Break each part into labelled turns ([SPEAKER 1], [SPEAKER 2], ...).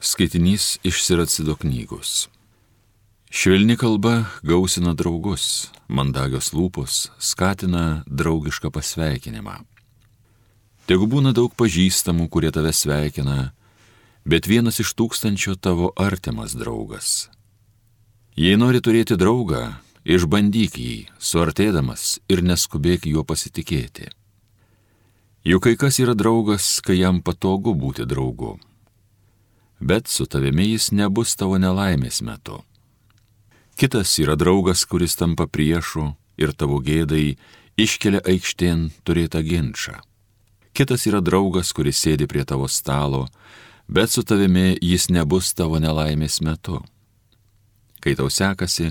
[SPEAKER 1] Skaitinys iš Siracido knygos. Švelni kalba gausina draugus, mandagios lūpos skatina draugišką pasveikinimą. Tegu būna daug pažįstamų, kurie tave sveikina, bet vienas iš 1000 tavo artimas draugas. Jei nori turėti draugą, išbandyk jį, suartėdamas ir neskubėk juo pasitikėti. Juk kai kas yra draugas, kai jam patogu būti draugu. Bet su tavimi jis nebus tavo nelaimės metu. Kitas yra draugas, kuris tampa priešu ir tavo gėdai iškelia aikštėn turėtą ginčą. Kitas yra draugas, kuris sėdi prie tavo stalo, bet su tavimi jis nebus tavo nelaimės metu. Kai tau sekasi,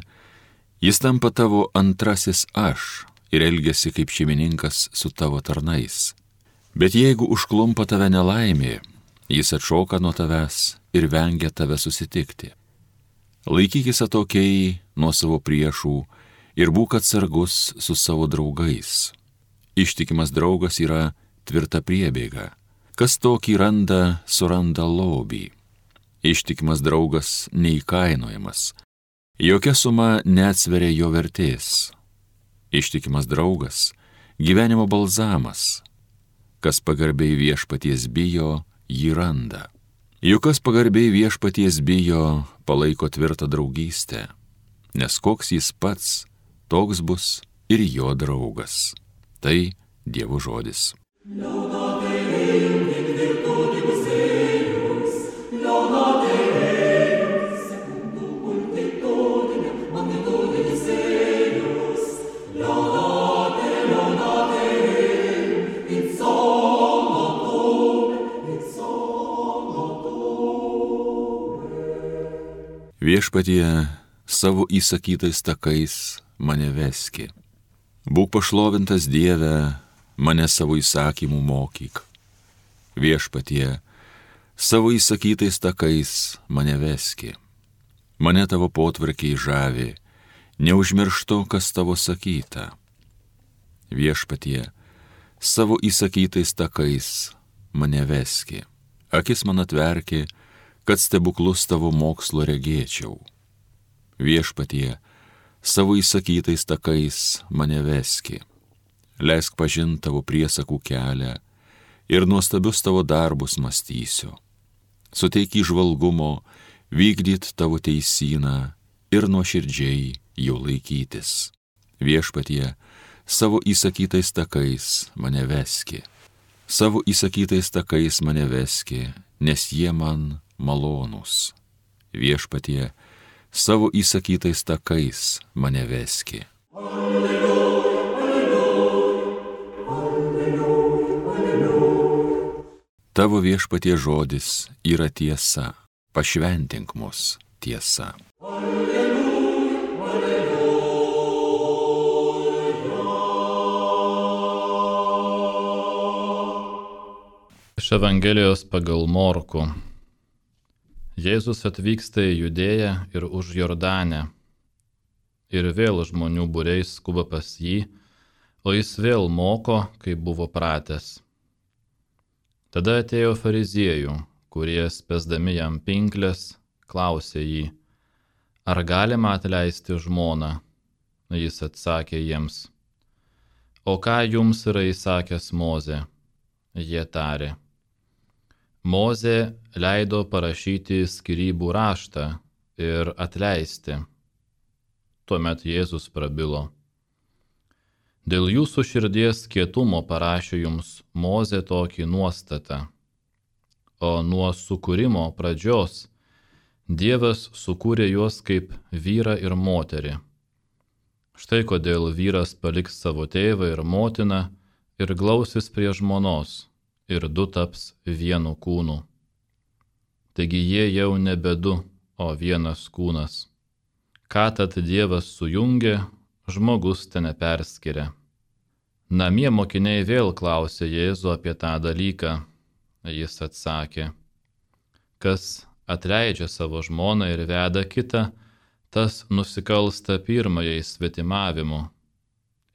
[SPEAKER 1] jis tampa tavo antrasis aš ir elgiasi kaip šeimininkas su tavo tarnais. Bet jeigu užklumpa tave nelaimė, jis atšoka nuo tavęs ir vengia tave susitikti. Laikykis atokiai nuo savo priešų ir būk atsargus su savo draugais. Ištikimas draugas yra tvirta priebėga. Kas tokį randa, suranda lobį. Ištikimas draugas neįkainojamas. Jokia suma neatsveria jo vertės. Ištikimas draugas gyvenimo balzamas. Kas pagarbiai viešpaties bijo, jį randa. Juk kas pagarbiai viešpaties bijo, palaiko tvirtą draugystę, nes koks jis pats, toks bus ir jo draugas. Tai Dievo žodis. Viešpatie, savo įsakytais takais mane veski. Būk pašlovintas Dieve, mane savo įsakymų mokyk. Viešpatie, savo įsakytais takais mane veski. Mane tavo potvarkiai žavi, neužmirštu, kas tavo sakyta. Viešpatie, savo įsakytais takais mane veski. Akis man atverki, kad stebuklus tavo mokslo regėčiau. Viešpatie, savo įsakytais takais mane veski. Leisk pažint tavo priesakų kelią ir nuostabius tavo darbus mąstysiu. Suteik įžvalgumo vykdyt tavo teisyną ir nuoširdžiai jų laikytis. Viešpatie, savo įsakytais takais mane veski. Savo įsakytais takais mane veski, nes jie man malonūs. Viešpatie, savo įsakytais takais mane veski. Alleluja, alleluja, alleluja, alleluja. Tavo Viešpatie žodis yra tiesa, pašventink mus tiesa. Alleluja, alleluja.
[SPEAKER 2] Iš Evangelijos pagal Morkų. Jėzus atvyksta į Judėją ir už Jordanę. Ir vėl žmonių būriais skuba pas jį, o jis vėl moko, kaip buvo pratęs. Tada atėjo fariziejų, kurie spęsdami jam pinkles, klausė jį, ar galima atleisti žmoną? Jis atsakė jiems, o ką jums yra įsakęs Mozė? Jie tarė, Mozė leido parašyti skyrybų raštą ir atleisti. Tuomet Jėzus prabilo. Dėl jūsų širdies kietumo parašė jums Mozė tokį nuostatą, o nuo sukūrimo pradžios Dievas sukūrė juos kaip vyrą ir moterį. Štai kodėl vyras paliks savo tėvą ir motiną ir glausis prie žmonos, ir du taps vienu kūnu. Taigi jie jau nebe du, o vienas kūnas. Ką tad Dievas sujungė, žmogus te neperskiria. Namie mokiniai vėl klausė Jėzų apie tą dalyką. Jis atsakė, kas atleidžia savo žmoną ir veda kitą, tas nusikalsta pirmajai svetimavimu.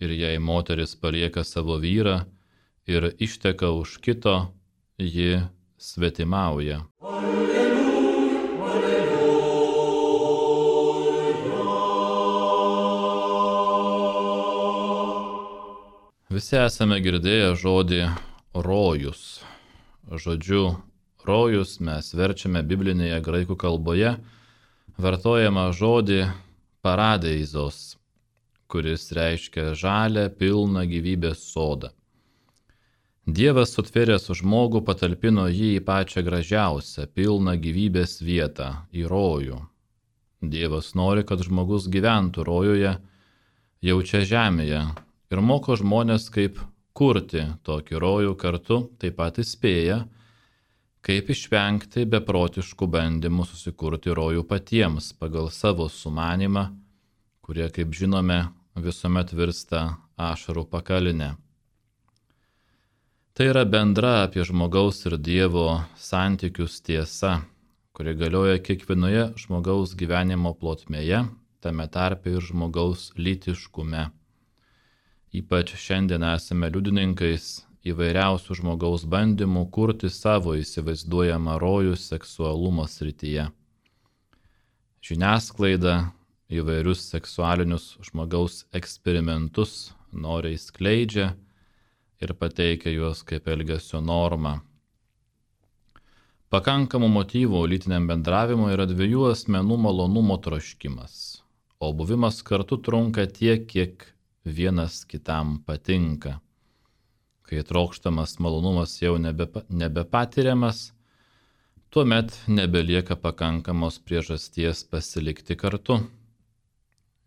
[SPEAKER 2] Ir jei moteris palieka savo vyrą ir išteka už kito, ji svetimauja. Alleluja, Visi esame girdėję žodį rojus. Žodžiu rojus mes verčiame biblinėje graikų kalboje vartojamą žodį paradeizos, kuris reiškia žalią, pilną gyvybės sodą. Dievas sutvėręs žmogų patalpino jį į pačią gražiausią, pilną gyvybės vietą, į rojų. Dievas nori, kad žmogus gyventų rojuje, jau čia žemėje, ir moko žmonės, kaip kurti tokį rojų, kartu taip pat įspėja, kaip išvengti beprotiškų bandymų susikurti rojų patiems pagal savo sumanimą, kurie, kaip žinome, visuomet virsta ašarų pakalinę. Tai yra bendra apie žmogaus ir Dievo santykius tiesa, kuri galioja kiekvienoje žmogaus gyvenimo plotmėje, tame tarpe ir žmogaus lytiškume. Ypač šiandien esame liudininkais įvairiausių žmogaus bandymų kurti savo įsivaizduojamą rojų seksualumo srityje. Žiniasklaida įvairius seksualinius žmogaus eksperimentus noriai skleidžia ir pateikia juos kaip elgesio normą. Pakankamų motyvų lytiniam bendravimui yra dviejų asmenų malonumo troškimas, o buvimas kartu trunka tiek, kiek vienas kitam patinka. Kai trokštamas malonumas jau nebepatiriamas, tuomet nebelieka pakankamos priežasties pasilikti kartu.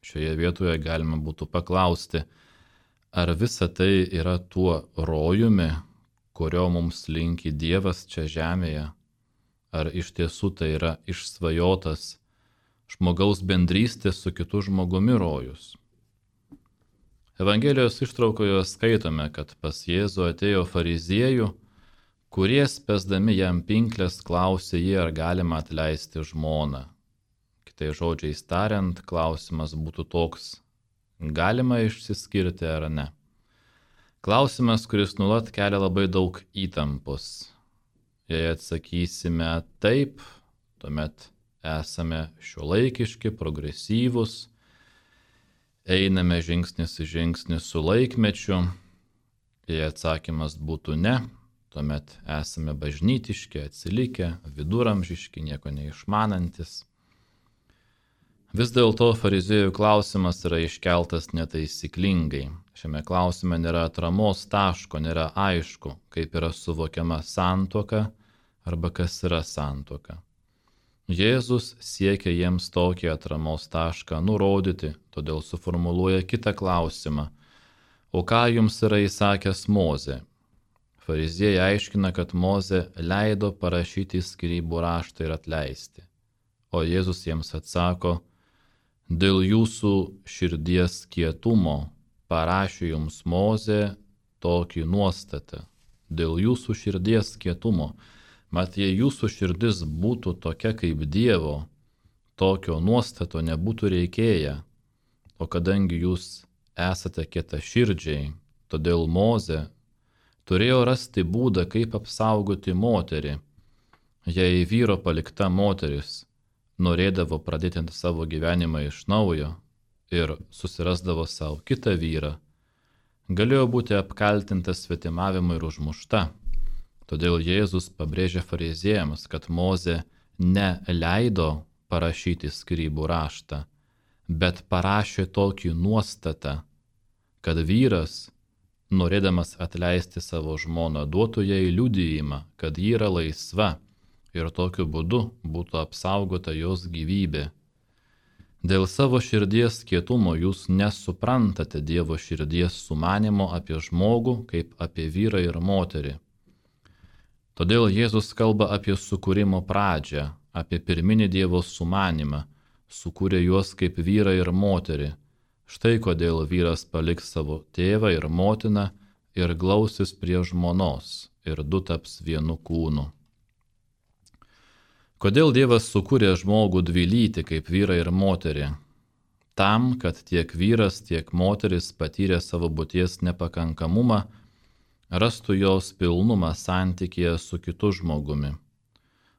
[SPEAKER 2] Šioje vietoje galima būtų paklausti, ar visa tai yra tuo rojumi, kurio mums linki Dievas čia žemėje, ar iš tiesų tai yra išsvajotas žmogaus bendrystės su kitu žmogumi rojus. Evangelijos ištraukoje skaitome, kad pas Jėzų atėjo fariziejų, kurie spęsdami jam pinklės klausė jį, ar galima atleisti žmoną. Kitais žodžiais tariant, klausimas būtų toks: galima išsiskirti ar ne? Klausimas, kuris nuolat kelia labai daug įtampos. Jei atsakysime taip, tuomet esame šiuolaikiški, progresyvūs, einame žingsnis į žingsnį su laikmečiu. Jei atsakymas būtų ne, tuomet esame bažnytiški, atsilikę, viduramžiški, nieko neišmanantis. Vis dėlto fariziejų klausimas yra iškeltas netaisyklingai. Šiame klausime nėra atramos taško, nėra aišku, kaip yra suvokiama santuoka arba kas yra santuoka. Jėzus siekia jiems tokį atramos tašką nurodyti, todėl suformuluoja kitą klausimą: o ką jums yra įsakęs Mozė? Fariziejai aiškina, kad Mozė leido parašyti skyrybų raštą ir atleisti. O Jėzus jiems atsako: dėl jūsų širdies kietumo parašė jums Mozė tokį nuostatą. Dėl jūsų širdies kietumo. Mat, jei jūsų širdis būtų tokia kaip Dievo, tokio nuostato nebūtų reikėję. O kadangi jūs esate kietaširdžiai, todėl Mozė turėjo rasti būdą, kaip apsaugoti moterį. Jei vyro palikta moteris norėdavo pradėti savo gyvenimą iš naujo ir susirasdavo savo kitą vyrą, galėjo būti apkaltinta svetimavimu ir užmušta. Todėl Jėzus pabrėžia fariziejams, kad Mozė neleido parašyti skyrybų raštą, bet parašė tokį nuostatą, kad vyras, norėdamas atleisti savo žmoną, duotų jai liudijimą, kad ji yra laisva, ir tokiu būdu būtų apsaugota jos gyvybė. Dėl savo širdies kietumo jūs nesuprantate Dievo širdies sumanimo apie žmogų kaip apie vyrą ir moterį. Todėl Jėzus kalba apie sukūrimo pradžią, apie pirminį Dievo sumanimą, sukūrė juos kaip vyrą ir moterį. Štai kodėl vyras paliks savo tėvą ir motiną ir glausis prie žmonos, ir du taps vienu kūnu. Kodėl Dievas sukūrė žmogų dvilytį kaip vyrą ir moterį? Tam, kad tiek vyras, tiek moteris patyrė savo būties nepakankamumą, rastų jos pilnumą santykėje su kitu žmogumi.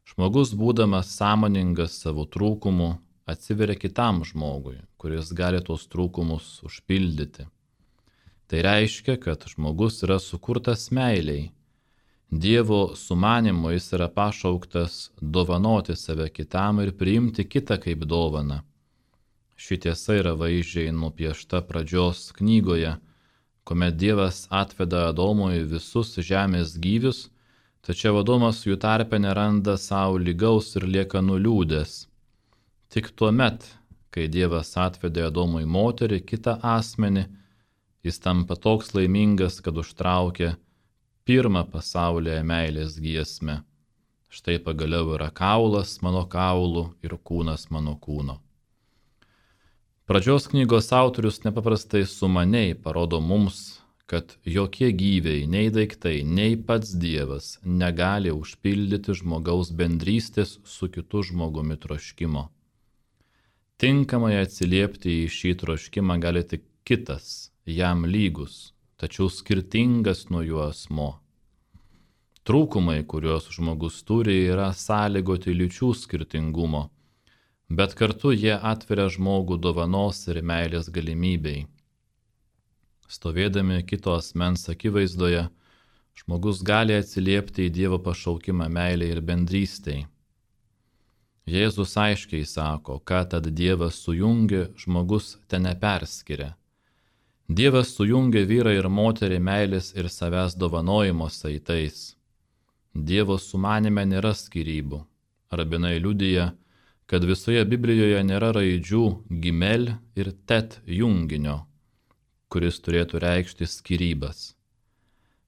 [SPEAKER 2] Žmogus, būdamas sąmoningas savo trūkumų, atsiveria kitam žmogui, kuris gali tos trūkumus užpildyti. Tai reiškia, kad žmogus yra sukurtas meiliai. Dievo sumanimu jis yra pašauktas dovanoti save kitam ir priimti kitą kaip dovaną. Ši tiesa yra vaizdžiai nupiešta pradžios knygoje, kuomet Dievas atveda Adomui visus žemės gyvius, tačiau Adomas jų tarpe neranda savo lygaus ir lieka nuliūdęs. Tik tuomet, kai Dievas atvedė Adomui moterį, kitą asmenį, jis tampa toks laimingas, kad užtraukė pirmą pasaulyje meilės giesmę. Štai pagaliau yra kaulas mano kaulų ir kūnas mano kūno. Pradžios knygos autorius nepaprastai sumaniai parodo mums, kad jokie gyviai, nei daiktai, nei pats Dievas negali užpildyti žmogaus bendrystės su kitu žmogumi troškimo. Tinkamai atsiliepti į šį troškimą gali tik kitas, jam lygus, tačiau skirtingas nuo jo asmo. Trūkumai, kuriuos žmogus turi, yra sąlygoti lyčių skirtingumo, bet kartu jie atveria žmogų dovanos ir meilės galimybei. Stovėdami kito asmens akivaizdoje, žmogus gali atsiliepti į Dievo pašaukimą meilei ir bendrystei. Jėzus aiškiai sako, ką tad Dievas sujungė, žmogus te neperskiria. Dievas sujungė vyrą ir moterį meilės ir savęs dovanojimo saitais. Dievo sumanime nėra skyrybų. Rabinai liudija, kad visoje Biblijoje nėra raidžių gimel ir tet junginio, kuris turėtų reikšti skyrybas.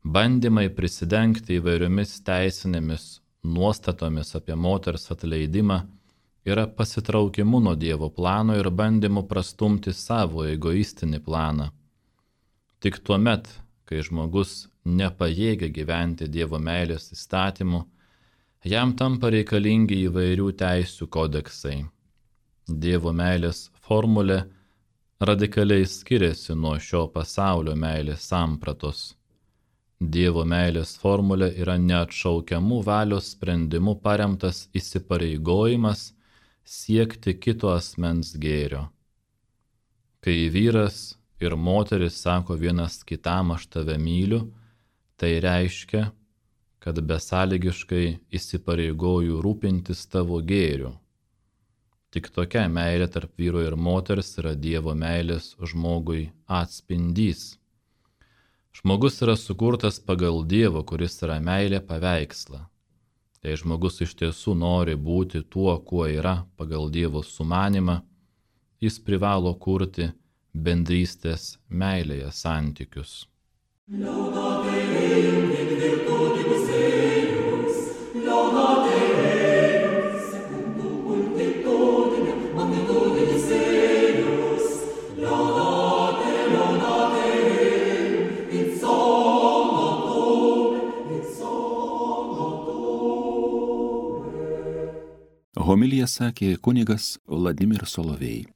[SPEAKER 2] Bandymai prisidengti įvairiomis teisinėmis nuostatomis apie moters atleidimą yra pasitraukimu nuo Dievo plano ir bandymu prastumti savo egoistinį planą. Tik tuomet, kai žmogus nepajėgia gyventi Dievo meilės įstatymu, jam tampa reikalingi įvairių teisių kodeksai. Dievo meilės formulė radikaliai skiriasi nuo šio pasaulio meilės sampratos. Dievo meilės formulė yra neatšaukiamų valios sprendimų paremtas įsipareigojimas siekti kito asmens gėrio. Kai vyras ir moteris sako vienas kitam aš tave myliu, tai reiškia, kad besąlygiškai įsipareigoju rūpintis tavo gėriu. Tik tokia meilė tarp vyro ir moters yra Dievo meilės žmogui atspindys. Žmogus yra sukurtas pagal Dievo, kuris yra meilė paveikslą. Jei žmogus iš tiesų nori būti tuo, kuo yra pagal Dievo sumanimą, jis privalo kurti bendrystės meilėje santykius.
[SPEAKER 1] Homiliją sakė kunigas Vladimir Solovej.